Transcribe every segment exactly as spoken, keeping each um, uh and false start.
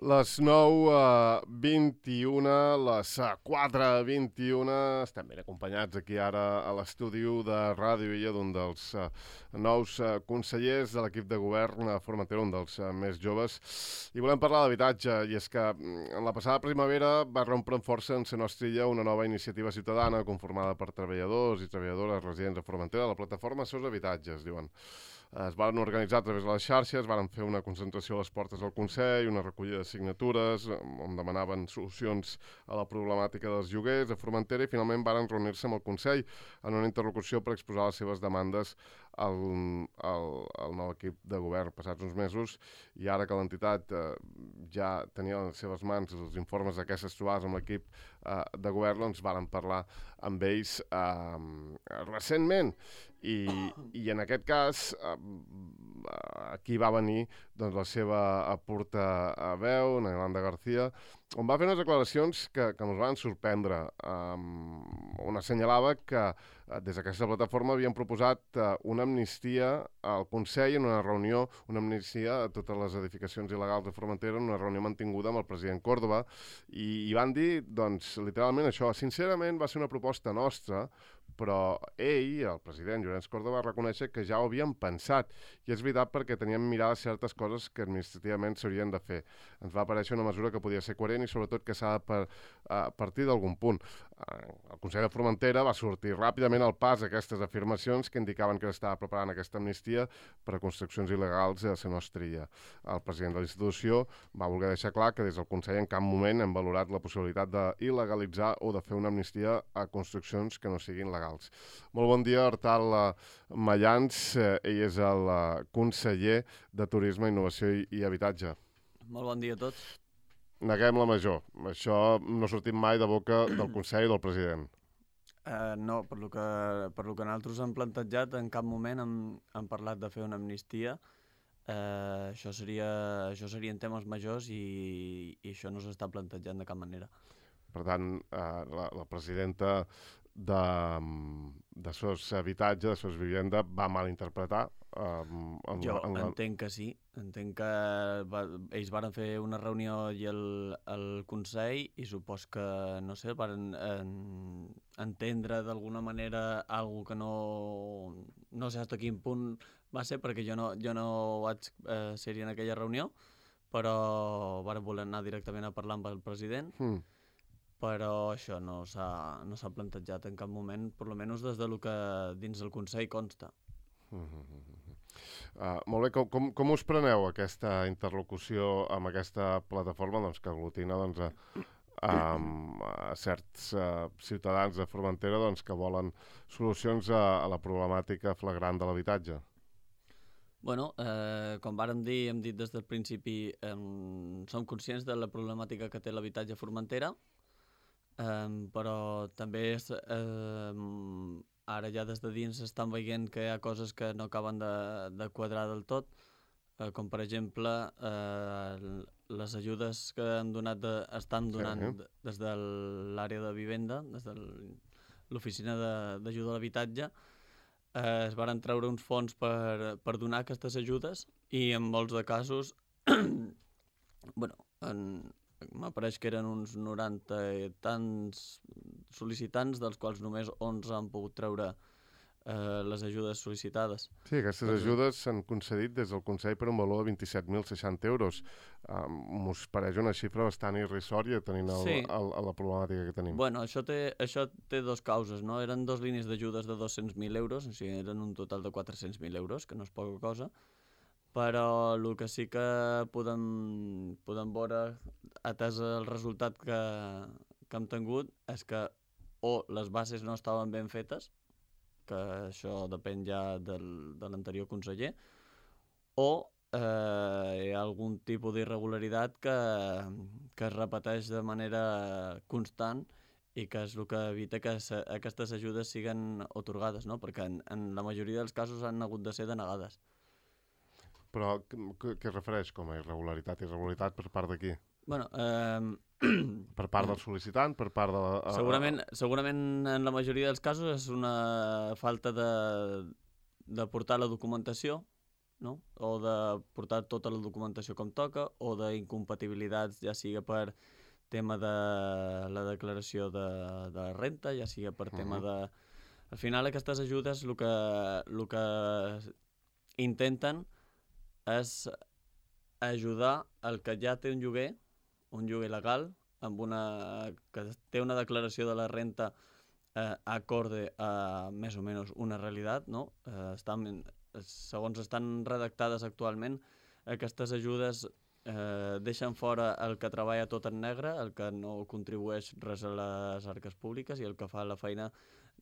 Les nou uh, vint-i-una, les uh, quatre vint-i-una, estem ben acompanyats aquí ara a l'estudi de Ràdio Illa d'un dels uh, nous uh, consellers de l'equip de govern a Formentera, un dels uh, més joves, i volem parlar d'habitatge, i és que en la passada primavera va rompre amb força en la nostra illa una nova iniciativa ciutadana conformada per treballadors i treballadores residents a Formentera, la plataforma Seus Habitatges, diuen. Es van organitzar a través de les xarxes, van fer una concentració a les portes del Consell, una recollida de signatures, on demanaven solucions a la problemàtica dels lloguers a Formentera i finalment van reunir-se amb el Consell en una interlocució per exposar les seves demandes al, al, al nou equip de govern passats uns mesos, i ara que l'entitat eh, ja tenia en les seves mans els informes d'aquestes trobades amb l'equip eh, de govern, doncs van parlar amb ells eh, recentment. I, i en aquest cas eh, aquí va venir doncs, la seva portaveu, na Yolanda García, on va fer unes declaracions que, que ens van sorprendre, um, on assenyalava que uh, des d'aquesta plataforma havien proposat uh, una amnistia al Consell en una reunió, una amnistia a totes les edificacions il·legals de Formentera en una reunió mantinguda amb el president Córdoba, i, i van dir, doncs, literalment això. Sincerament va ser una proposta nostra, però ell, el president Llorenç Córdoba, va reconèixer que ja ho havien pensat, i és veritat perquè teníem mirades certes coses que administrativament s'haurien de fer. Ens va aparèixer una mesura que podia ser coherent i sobretot que s'ha de per, uh, partir d'algun punt. Uh, el Consell de Formentera va sortir ràpidament al pas aquestes afirmacions que indicaven que estava preparant aquesta amnistia per a construccions il·legals a la nostra illa. El president de la institució va voler deixar clar que des del Consell en cap moment hem valorat la possibilitat d'il·legalitzar o de fer una amnistia a construccions que no siguin legals. Molt bon dia, Artal Mayans. Ell és el conseller de Turisme, Innovació i, i Habitatge. Molt bon dia a tots. Neguem la major. Això no ha sortit mai de boca del Consell i del president. Uh, no, per lo, que, per lo que nosaltres hem plantejat, en cap moment hem, hem parlat de fer una amnistia. Uh, això, seria, això serien temes majors i, i això no s'està plantejant de cap manera. Per tant, uh, la, la presidenta de, de Sos Habitatge, de Sos Vivenda, va malinterpretar. Um, en jo la, en la... entenc que sí. Entenc que va, ells van fer una reunió i el, el Consell, i supos que, no sé, van en, entendre d'alguna manera alguna que no... No sé fins a quin punt va ser, perquè jo no, jo no vaig eh, ser-hi en aquella reunió, però van voler anar directament a parlar amb el president. Mm. Però això no s'ha no s'ha plantejat en cap moment, per almenys des de lo que dins del Consell consta. Mm-hmm. Uh, molt bé, com, com, com us preneu aquesta interlocució amb aquesta plataforma doncs, que aglutina doncs, a, a, a certs uh, ciutadans de Formentera doncs, que volen solucions a, a la problemàtica flagrant de l'habitatge? Bueno, eh, com vàrem dir, hem dit des del principi, eh, som conscients de la problemàtica que té l'habitatge a Formentera, eh, però també és... Eh, ara ja des de dins estan veient que hi ha coses que no acaben de, de quadrar del tot, eh, com per exemple eh, les ajudes que han donat de, estan donant sí, sí. des de l'àrea de vivenda, des de l'oficina d'ajuda a l'habitatge, eh, es van treure uns fons per, per donar aquestes ajudes, i en molts de casos bueno, en, m'apareix que eren uns noranta i tants sol·licitants, dels quals només onze han pogut treure eh, les ajudes sol·licitades. Sí, aquestes doncs... ajudes s'han concedit des del Consell per un valor de vint-i-set mil seixanta euros. Um, M'us pareix una xifra bastant irrisòria tenint el, sí. el, el, la problemàtica que tenim. Bueno, això té, això té dos causes, no? Eren dos línies d'ajudes de dos-cents mil euros, o sigui, eren un total de quatre-cents mil euros, que no és poca cosa, però el que sí que podem, podem veure, atès el resultat que, que hem tingut, és que o les bases no estaven ben fetes, que això depèn ja del, de l'anterior conseller, o eh, hi ha algun tipus d'irregularitat que, que es repeteix de manera constant i que és el que evita que se, aquestes ajudes siguin atorgades, no? Perquè en, en la majoria dels casos han hagut de ser denegades. Però què es refereix com a irregularitat? Irregularitat per part de qui? Bueno, eh... per part del sol·licitant, per part de la... Segurament, segurament en la majoria dels casos és una falta de, de portar la documentació no? O de portar tota la documentació com toca, o d'incompatibilitats, ja sigui per tema de la declaració de, de renta, ja sigui per Uh tema -huh. de... Al final aquestes ajudes el que, el que intenten és ajudar el que ja té un lloguer, un lloguer legal, amb una, que té una declaració de la renta eh, acorde a més o menys una realitat, no? Eh, estan, segons estan redactades actualment, aquestes ajudes eh, deixen fora el que treballa tot en negre, el que no contribueix res a les arques públiques i el que fa la feina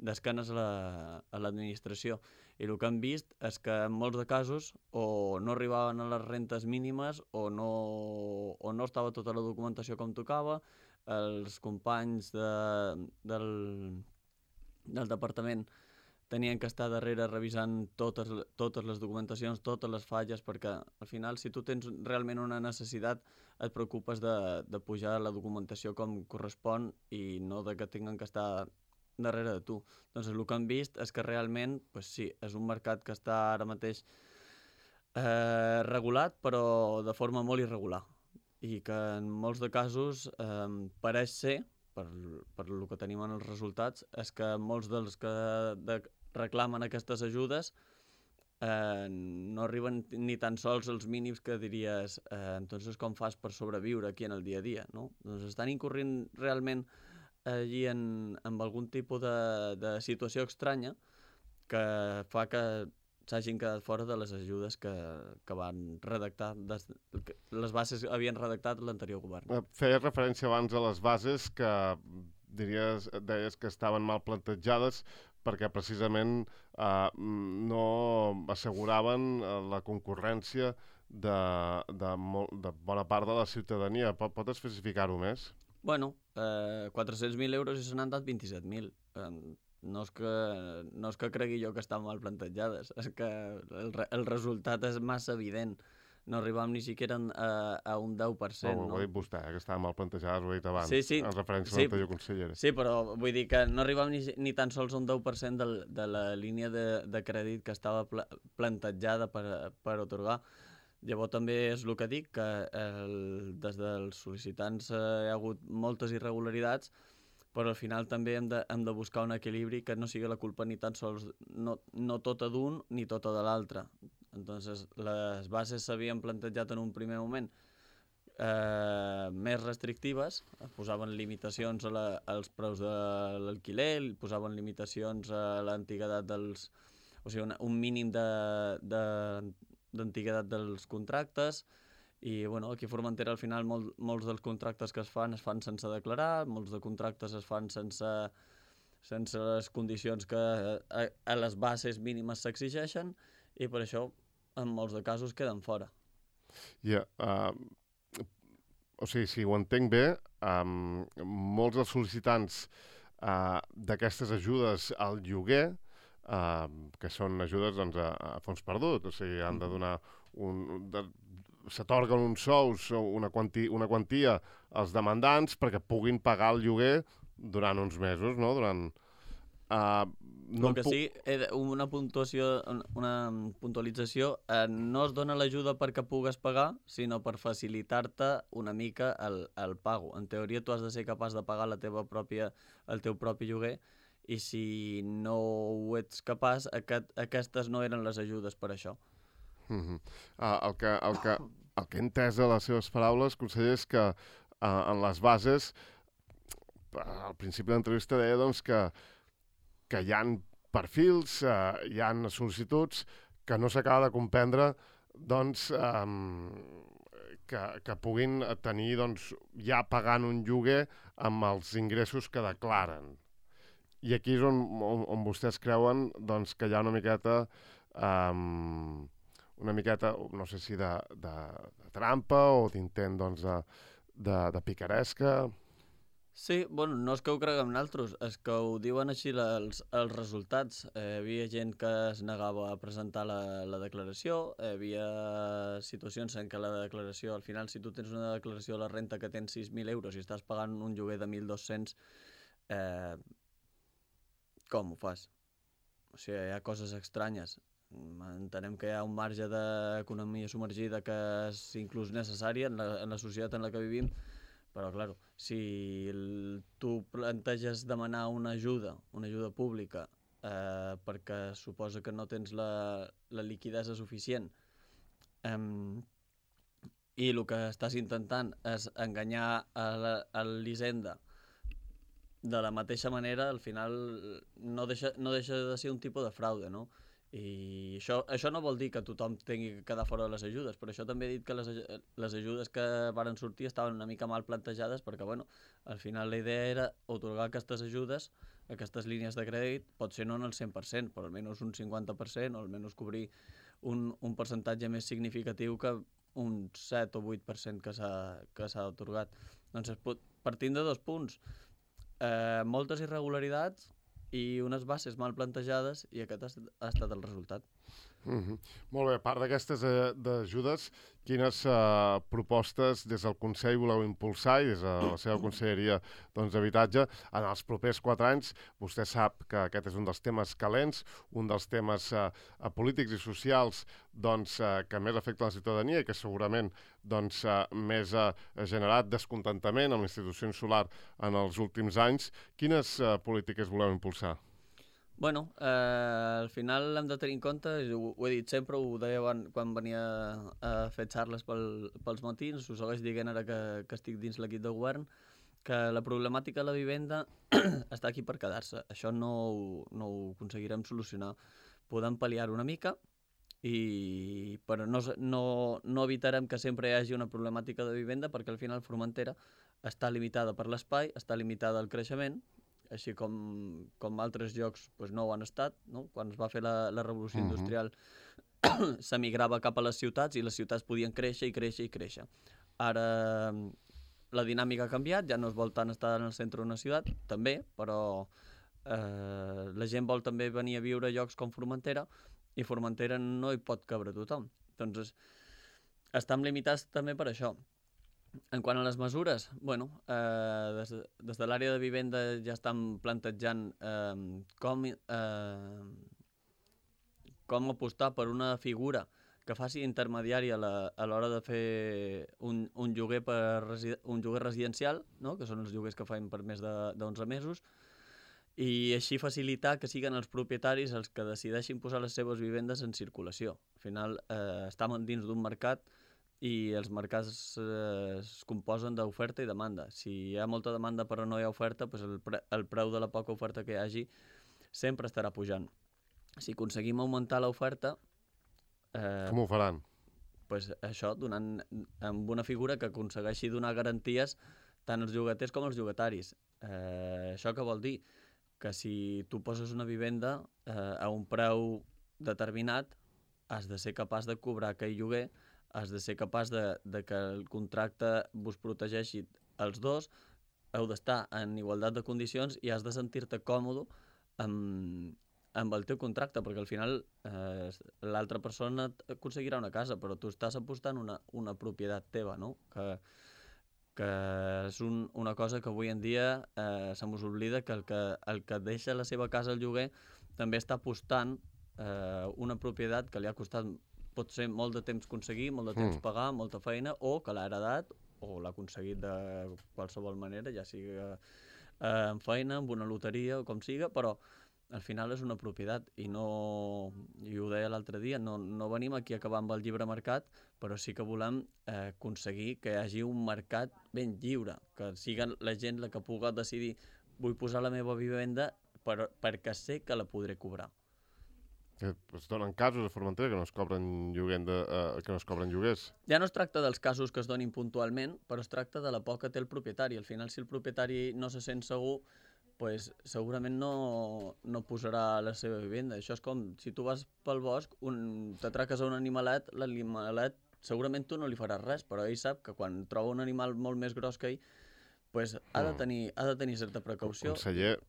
d'esquenes a l'administració. La, I el que hem vist és que en molts de casos o no arribaven a les rentes mínimes o no, o no estava tota la documentació com tocava, els companys de, del, del departament tenien que estar darrere revisant totes, totes les documentacions, totes les falles, perquè al final si tu tens realment una necessitat et preocupes de, de pujar la documentació com correspon i no de que tinguin que estar darrere de tu. Doncs el que hem vist és que realment, pues sí, és un mercat que està ara mateix eh, regulat, però de forma molt irregular. I que en molts de casos eh, pareix ser, per, per el que tenim en els resultats, és que molts dels que de, reclamen aquestes ajudes eh, no arriben ni tan sols als mínims que diries eh, entonces com fas per sobreviure aquí en el dia a dia, no? Doncs estan incorrent realment allí en, en algun tipus de, de situació estranya que fa que s'hagin quedat fora de les ajudes que, que van redactar, des, que les bases havien redactat l'anterior govern. Feies referència abans a les bases que diries, deies que estaven mal plantejades perquè precisament eh, no asseguraven la concurrència de, de, molt, de bona part de la ciutadania. Pot, pot especificar-ho més? Bueno, eh, quatre-cents mil euros i se n'han dat vint-i-set mil. Eh, no, és que, no és que cregui jo que estan mal plantejades, és que el, el resultat és massa evident. No arribam ni siquiera a, a un deu per cent. Oh, ho no? ha dit vostè, eh, que estaven mal plantejades, ho ha dit abans, sí, sí, en referència sí, a l'anterior consellera. Sí, però vull dir que no arribam ni, ni tan sols a un deu per cent de, de la línia de, de crèdit que estava pla, plantejada per, per otorgar. Llavors també és el que dic, que el, des dels sol·licitants eh, hi ha hagut moltes irregularitats, però al final també hem de, hem de buscar un equilibri que no sigui la culpa ni tan sols, no, no tota d'un ni tota de l'altre. Entonces, les bases s'havien plantejat en un primer moment eh, més restrictives, posaven limitacions a la, als preus de l'alquiler, posaven limitacions a l'antiguitat dels... o sigui, un, un mínim de, de, d'antiguitat dels contractes, i bueno, aquí a Formentera al final molt, molts dels contractes que es fan es fan sense declarar, molts de contractes es fan sense, sense les condicions que a, a les bases mínimes s'exigeixen, i per això en molts de casos queden fora. Ja, yeah, uh, o sigui, si ho entenc bé, um, molts dels sol·licitants uh, d'aquestes ajudes al lloguer, uh, que són ajudes doncs, a, a fons perdut, o sigui, han de donar un... De, s'atorguen uns sous o una, quanti, una quantia als demandants perquè puguin pagar el lloguer durant uns mesos, no? Durant... Uh, no el que puc... sí, una puntuació, una puntualització, eh, no es dona l'ajuda perquè pugues pagar, sinó per facilitar-te una mica el, el pago. En teoria tu has de ser capaç de pagar la teva pròpia, el teu propi lloguer, i si no ho ets capaç, aquest, aquestes no eren les ajudes per això. Uh-huh. uh, el, que, el, que, el que he entès a les seves paraules, conseller, és que uh, en les bases, al principi de l'entrevista deia doncs, que que hi ha perfils, eh, hi ha sol·licituds que no s'acaba de comprendre doncs, eh, que, que puguin tenir doncs, ja pagant un lloguer amb els ingressos que declaren. I aquí és on, on, on vostès creuen doncs, que hi ha una miqueta, eh, una miqueta, no sé si de, de, de trampa o d'intent doncs, de, de, de picaresca. Sí, bueno, no és que ho creguem nosaltres, és que ho diuen així els, els resultats. Eh, hi havia gent que es negava a presentar la, la declaració, hi havia situacions en què la declaració, al final, si tu tens una declaració de la renta que tens sis mil euros i estàs pagant un lloguer de mil dos-cents, eh, com ho fas? O sigui, hi ha coses estranyes. entenem que hi ha un marge d'economia submergida que és inclús necessària en la, en la societat en la que vivim, però, clar, si el, tu planteges demanar una ajuda, una ajuda pública, eh, perquè suposa que no tens la, la liquidesa suficient, eh, i el que estàs intentant és enganyar a l'Hisenda de la mateixa manera, al final no deixa, no deixa de ser un tipus de fraude, no? I això, això no vol dir que tothom tingui que quedar fora de les ajudes, però això també he dit que les, les ajudes que varen sortir estaven una mica mal plantejades perquè, bueno, al final la idea era otorgar aquestes ajudes, aquestes línies de crèdit, pot ser no en el cent per cent, però almenys un cinquanta per cent, o almenys cobrir un, un percentatge més significatiu que un set o vuit per cent que s'ha otorgat. Doncs es pot, partint de dos punts, eh, moltes irregularitats i unes bases mal plantejades, i aquest ha estat el resultat. Mm-hmm. Molt bé, a part d'aquestes eh, ajudes, quines eh, propostes des del Consell voleu impulsar i des de la seva conselleria d'Habitatge doncs, en els propers quatre anys? Vostè sap que aquest és un dels temes calents, un dels temes eh, polítics i socials doncs, eh, que més afecta la ciutadania i que segurament doncs, eh, més ha eh, generat descontentament amb la institució insular en els últims anys. Quines eh, polítiques voleu impulsar? Bueno, eh, al final hem de tenir en compte, ho, ho he dit sempre, ho deia quan, quan venia a fer xarles pel, pels matins, ho segueix dient ara que, que estic dins l'equip de govern, que la problemàtica de la vivenda està aquí per quedar-se. Això no, no ho aconseguirem solucionar. Podem pal·liar una mica, i, però no, no, no evitarem que sempre hi hagi una problemàtica de vivenda, perquè al final Formentera està limitada per l'espai, està limitada al creixement, així com, com altres llocs doncs no ho han estat, no? Quan es va fer la, la revolució uh-huh. industrial s'emigrava cap a les ciutats i les ciutats podien créixer i créixer i créixer. Ara la dinàmica ha canviat, ja no es vol tant estar en el centre d'una ciutat, també, però eh, la gent vol també venir a viure a llocs com Formentera, i Formentera no hi pot cabre tothom. Doncs estem limitats també per això. En quant a les mesures, bueno, eh, des, des de l'àrea de vivenda ja estan plantejant eh, com, eh, com apostar per una figura que faci intermediària a l'hora de fer un, un, lloguer per resi un lloguer residencial, no? Que són els lloguers que fan per més d'onze mesos, i així facilitar que siguin els propietaris els que decideixin posar les seves vivendes en circulació. Al final eh, estem dins d'un mercat i els mercats eh, es composen d'oferta i demanda. Si hi ha molta demanda però no hi ha oferta, doncs el, pre el preu de la poca oferta que hi hagi sempre estarà pujant. Si aconseguim augmentar l'oferta... Eh, Com ho faran? Doncs això, donant amb una figura que aconsegueixi donar garanties tant als llogaters com als llogataris. Eh, això què vol dir? Que si tu poses una vivenda eh, a un preu determinat, has de ser capaç de cobrar aquell lloguer, has de ser capaç de, de que el contracte vos protegeixi els dos, heu d'estar en igualtat de condicions i has de sentir-te còmode amb, amb el teu contracte, perquè al final eh, l'altra persona aconseguirà una casa, però tu estàs apostant una, una propietat teva, no? Que, que és un, una cosa que avui en dia eh, se mos oblida, que el, que el que deixa la seva casa al lloguer també està apostant eh, una propietat que li ha costat pot ser molt de temps aconseguir, molt de temps mm. pagar, molta feina, o que l'ha heredat o l'ha aconseguit de qualsevol manera, ja sigui eh, amb feina, amb una loteria o com siga, però al final és una propietat i no, i ho deia l'altre dia, no, no venim aquí a acabar amb el llibre mercat, però sí que volem eh, aconseguir que hi hagi un mercat ben lliure, que siga la gent la que pugui decidir vull posar la meva vivenda per, perquè sé que la podré cobrar. Es donen casos a Formentera que no es cobren, de, uh, que no es cobren lloguers. Ja no es tracta dels casos que es donin puntualment, però es tracta de la por que té el propietari. Al final, si el propietari no se sent segur, pues, segurament no, no posarà la seva vivenda. Això és com si tu vas pel bosc, un, t'atraques a un animalet, l'animalet segurament tu no li faràs res, però ell sap que quan troba un animal molt més gros que ell, pues, ha, de tenir, ha de tenir certa precaució. Conseller,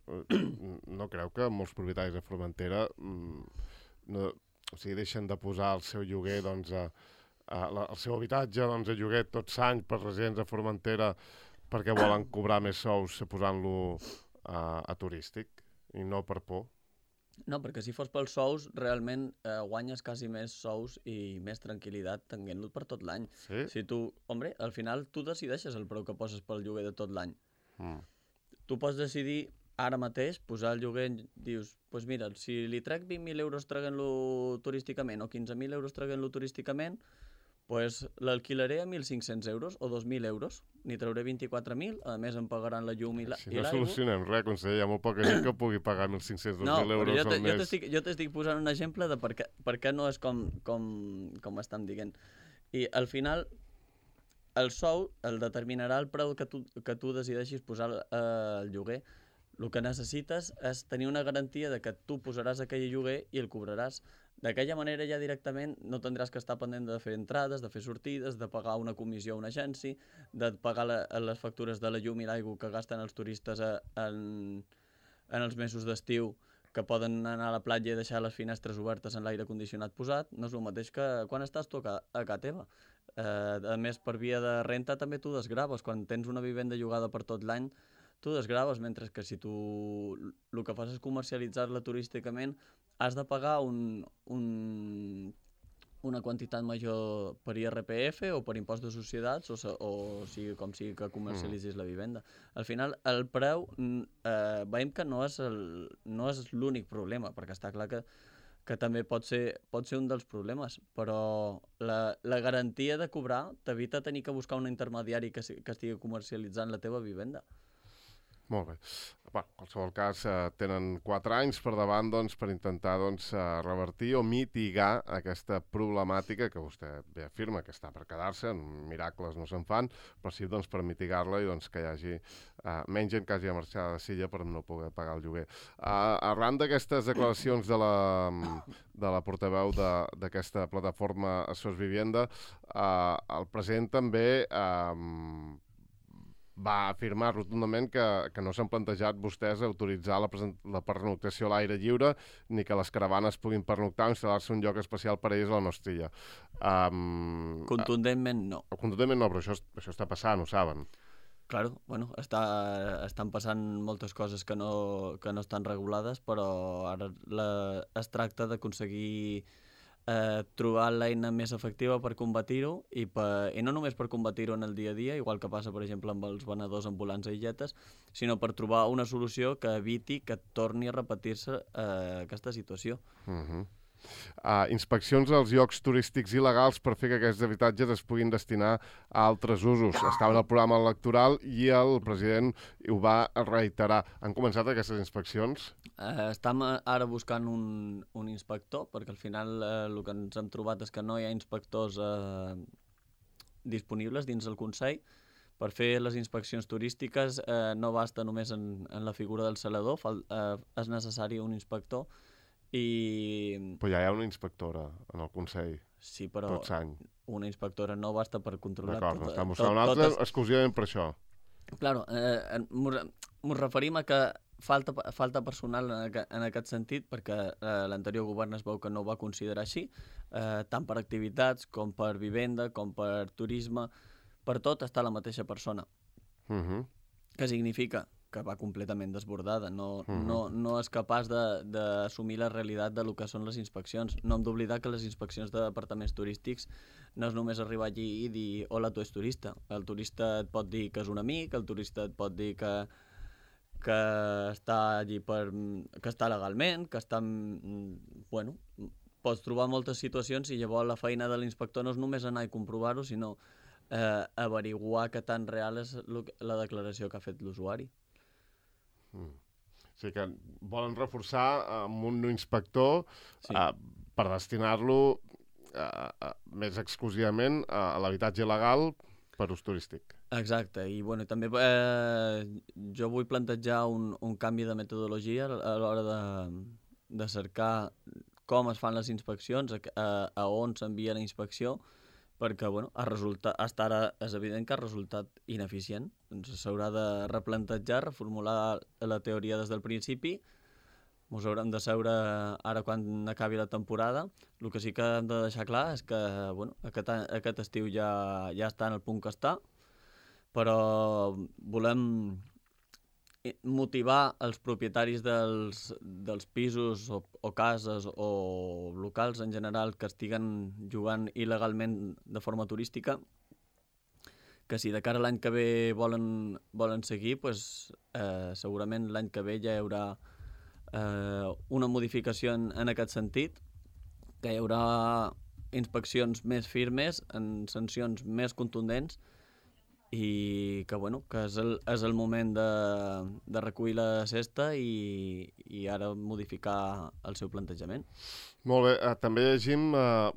no creu que molts propietaris de Formentera no, o sigui, deixen de posar el seu lloguer, doncs, a, a, a, el seu habitatge doncs, a lloguer tots anys per residents de Formentera perquè volen cobrar més sous posant-lo a, a turístic i no per por? No, perquè si fos pels sous, realment eh, guanyes quasi més sous i més tranquil·litat tenint-lo per tot l'any. Sí? Si tu, hombre, al final tu decideixes el preu que poses pel lloguer de tot l'any. Mm. Tu pots decidir ara mateix posar el lloguer, dius, doncs pues mira, si li trec vint mil euros traguent-lo turísticament o quinze mil euros traguent-lo turísticament, pues l'alquilaré a mil cinc-cents euros o dos mil euros. N'hi trauré vint-i-quatre mil, a més em pagaran la llum i l'aigua. Si no solucionem res, conseller, hi ha molt poca gent que pugui pagar mil cinc-cents dos mil no, euros jo al mes. Jo t'estic posant un exemple de per què, per què no és com, com, com estan dient. I al final, el sou el determinarà el preu que tu, que tu decideixis posar eh, el lloguer. El que necessites és tenir una garantia de que tu posaràs aquell lloguer i el cobraràs. D'aquella manera ja directament no tindràs que estar pendent de fer entrades, de fer sortides, de pagar una comissió a una agència, de pagar la, les factures de la llum i l'aigua que gasten els turistes a, en, en els mesos d'estiu, que poden anar a la platja i deixar les finestres obertes en l'aire condicionat posat. No és el mateix que quan estàs tu a, a casa teva. Eh, a més, per via de renta també tu desgraves. Quan tens una vivenda llogada per tot l'any, tu desgraves, mentre que si tu el que fas és comercialitzar-la turísticament, has de pagar un, un, una quantitat major per I R P F o per impost de societats o, o sigui com sigui que comercialitzis mm. la vivenda. Al final, el preu, eh, veiem que no és el, no és l'únic problema, perquè està clar que, que també pot ser, pot ser un dels problemes, però la, la garantia de cobrar t'evita tenir que buscar un intermediari que, que estigui comercialitzant la teva vivenda. Molt bé. Bueno, en qualsevol cas, eh, tenen quatre anys per davant doncs, per intentar doncs, eh, revertir o mitigar aquesta problemàtica que vostè bé afirma que està per quedar-se, miracles no se'n fan, però sí doncs, per mitigar-la i doncs, que hi hagi eh, menys gent que hagi de marxar de Silla per no poder pagar el lloguer. Uh, arran d'aquestes declaracions de la, de la portaveu d'aquesta plataforma Sos Vivienda, uh, el president també uh, va afirmar rotundament que, que no s'han plantejat vostès autoritzar la, la pernoctació a l'aire lliure ni que les caravanes puguin pernoctar o instal·lar-se un lloc especial per a ells a la nostra illa. Um, contundentment no. Contundentment no, però això, això està passant, ho saben. Claro, bueno, està, estan passant moltes coses que no, que no estan regulades, però ara la, es tracta d'aconseguir Eh, trobar l'eina més efectiva per combatir-ho i, per, i no només per combatir-ho en el dia a dia, igual que passa per exemple amb els venedors ambulants a illetes, sinó per trobar una solució que eviti que torni a repetir-se eh, aquesta situació. Uh-huh. Uh, inspeccions als llocs turístics il·legals per fer que aquests habitatges es puguin destinar a altres usos. Estava en el programa electoral i el president ho va reiterar. Han començat aquestes inspeccions? Uh, estem ara buscant un, un inspector, perquè al final uh, el que ens hem trobat és que no hi ha inspectors uh, disponibles dins del Consell. Per fer les inspeccions turístiques uh, no basta només en, en la figura del salador, fal, uh, és necessari un inspector. I... Però ja hi ha una inspectora en el Consell, sí, però tots any. Una inspectora no basta per controlar tot. D'acord, n'estan buscant una altra totes... exclusivament per això. Claro, eh, ens referim a que falta, falta personal en, aqu en aquest sentit, perquè eh, l'anterior govern es veu que no ho va considerar així, eh, tant per activitats com per vivenda, com per turisme, per tot està la mateixa persona. Uh-huh. Què significa? Que va completament desbordada, no, uh-huh. no, no és capaç d'assumir la realitat de lo que són les inspeccions. No hem d'oblidar que les inspeccions de departaments turístics no és només arribar allí i dir hola, tu ets turista. El turista et pot dir que és un amic, el turista et pot dir que, que està allí per, que està legalment, que està... Bueno, pots trobar moltes situacions i llavors la feina de l'inspector no és només anar i comprovar-ho, sinó eh, averiguar que tan real és la declaració que ha fet l'usuari. Mm. O sigui que volen reforçar amb un inspector sí. uh, per destinar-lo uh, uh, més exclusivament a, a l'habitatge il·legal per ús turístic. Exacte, i bueno, també eh, jo vull plantejar un, un canvi de metodologia a l'hora de, de cercar com es fan les inspeccions, a, a, a on s'envia la inspecció, perquè bueno, ha resultat, hasta ara és evident que ha resultat ineficient. Ens s'haurà de replantejar, reformular la teoria des del principi. Ens haurem de seure ara quan acabi la temporada. El que sí que hem de deixar clar és que bueno, aquest, aquest estiu ja, ja està en el punt que està, però volem motivar els propietaris dels, dels pisos o, o cases o locals en general que estiguen jugant il·legalment de forma turística, que si de cara a l'any que ve volen, volen seguir, pues, eh, segurament l'any que ve ja hi haurà eh, una modificació en, en aquest sentit, que hi haurà inspeccions més firmes, en sancions més contundents, i que, bueno, que és el, és el moment de, de recollir la cesta i, i ara modificar el seu plantejament. Molt bé. Eh, també llegim eh,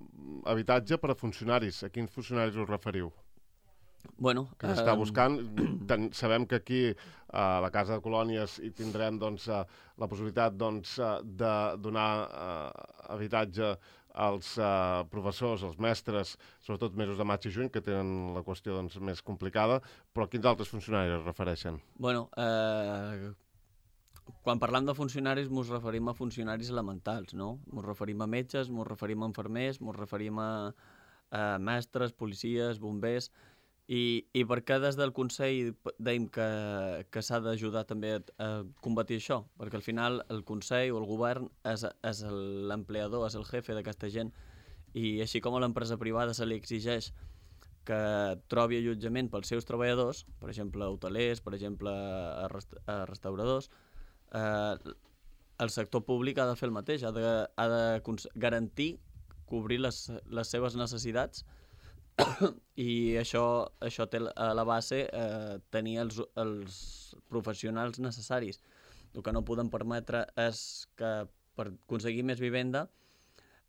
habitatge per a funcionaris. A quins funcionaris us referiu? Bueno, que s'està buscant. Ten, sabem que aquí a la Casa de Colònies hi tindrem doncs, uh, la possibilitat doncs, uh, de donar uh, habitatge als uh, professors, als mestres, sobretot mesos de maig i juny, que tenen la qüestió doncs, més complicada, però a quins altres funcionaris es refereixen? Bueno, eh, quan parlam de funcionaris mos referim a funcionaris elementals, no? Mos referim a metges, mos referim a infermers, mos referim a, a mestres, policies, bombers. I, i per què des del Consell dèiem que, que s'ha d'ajudar també a, a combatir això? Perquè al final el Consell o el govern és, és l'empleador, és el jefe d'aquesta gent, i així com a l'empresa privada se li exigeix que trobi allotjament pels seus treballadors, per exemple hotelers, per exemple a rest a restauradors, eh, el sector públic ha de fer el mateix, ha de, ha de garantir cobrir les, les seves necessitats. I això, això té a la base eh, tenir els, els professionals necessaris. El que no podem permetre és que per aconseguir més vivenda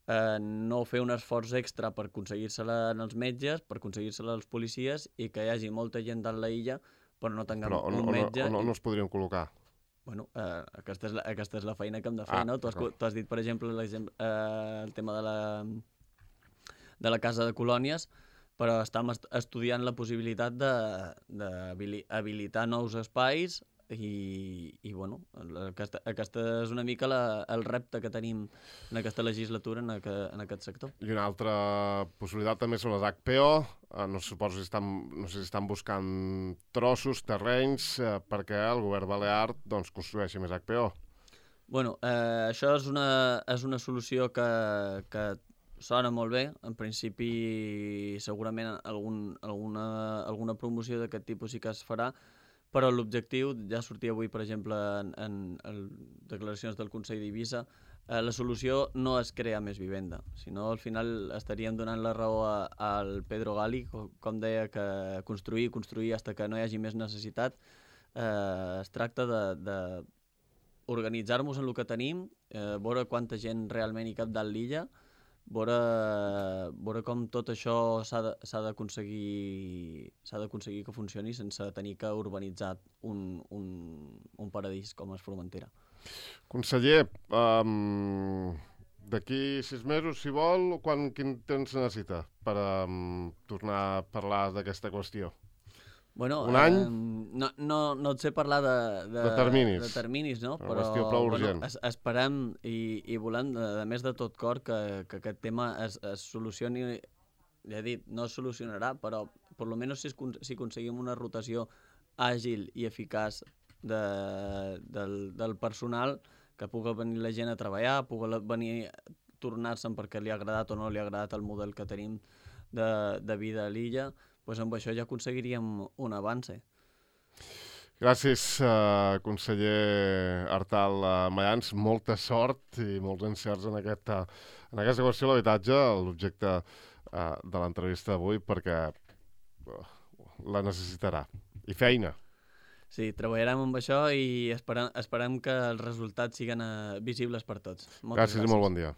eh, no fer un esforç extra per aconseguir-se-la als metges, per aconseguir-se-la als policies, i que hi hagi molta gent a l'illa però no tinguem però on, un metge. On, on, on es podrien col·locar? Bueno, eh, aquesta, és la, aquesta és la feina que hem de fer, ah, no? Tu has, tu has dit, per exemple, eh, el tema de la, de la Casa de Colònies, però estem estudiant la possibilitat d'habilitar nous espais i, i bueno, aquesta, aquesta és una mica la, el repte que tenim en aquesta legislatura en, aqu en aquest sector. I una altra possibilitat també són les H P O. Eh, no, suposo si estan, no sé si estan buscant trossos, terrenys, eh, perquè el govern balear doncs, construeixi més H P O. Bueno, eh, això és una, és una solució que, que sona molt bé. En principi segurament algun, alguna, alguna promoció d'aquest tipus sí que es farà, però l'objectiu, ja sortia avui per exemple en, en, en declaracions del Consell d'Eivissa, eh, la solució no és crear més vivenda, sinó al final estaríem donant la raó a, al Pedro Gali, com, com deia, que construir, construir fins que no hi hagi més necessitat. Eh, es tracta de, de organitzar-nos en el que tenim, eh, veure quanta gent realment hi cap dalt l'illa, veure, veure com tot això s'ha d'aconseguir s'ha d'aconseguir que funcioni sense tenir que urbanitzar un, un, un paradís com és Formentera. Conseller, um, d'aquí sis mesos, si vol, quan, quin temps necessita per um, tornar a parlar d'aquesta qüestió? Bueno, un any? Eh, no, no, no et sé parlar de, de, de terminis, de terminis no? Però prou urgent. Bueno, es, esperem i, i volem, a més de tot cor, que, que aquest tema es, es solucioni. Ja he dit, no es solucionarà, però per lo menos si, es, si aconseguim una rotació àgil i eficaç de, del, del personal, que pugui venir la gent a treballar, pugui venir a tornar-se'n perquè li ha agradat o no li ha agradat el model que tenim de, de vida a l'illa, doncs amb això ja aconseguiríem un avance. Gràcies, uh, conseller Artal uh, Mayans. Molta sort i molts encerts en aquesta, en aquesta qüestió de l'habitatge, l'objecte uh, de l'entrevista d'avui, perquè uh, la necessitarà. I feina. Sí, treballarem amb això i esperem, esperem que els resultats siguin uh, visibles per tots. Gràcies, Moltes gràcies i molt bon dia.